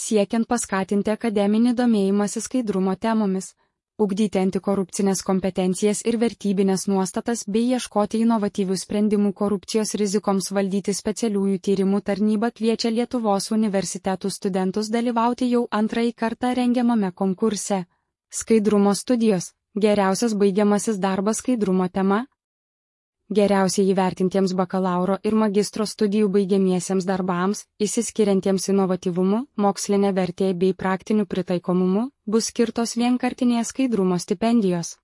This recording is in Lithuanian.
siekiant paskatinti akademinį domėjimąsi skaidrumo temomis, ugdyti antikorupcinės kompetencijas ir vertybinės nuostatas bei ieškoti inovatyvių sprendimų korupcijos rizikoms valdyti. Specialiųjų tyrimų tarnyba kviečia Lietuvos universitetų studentus dalyvauti jau antrąjį kartą rengiamame konkurse. Skaidrumo studijos – geriausias baigiamasis darbas skaidrumo tema. Geriausiai įvertintiems bakalauro ir magistro studijų baigiamiesiems darbams, išsiskiriantiems inovatyvumu, mokslinė vertė bei praktiniu pritaikomumu, bus skirtos vienkartinės skaidrumo stipendijos.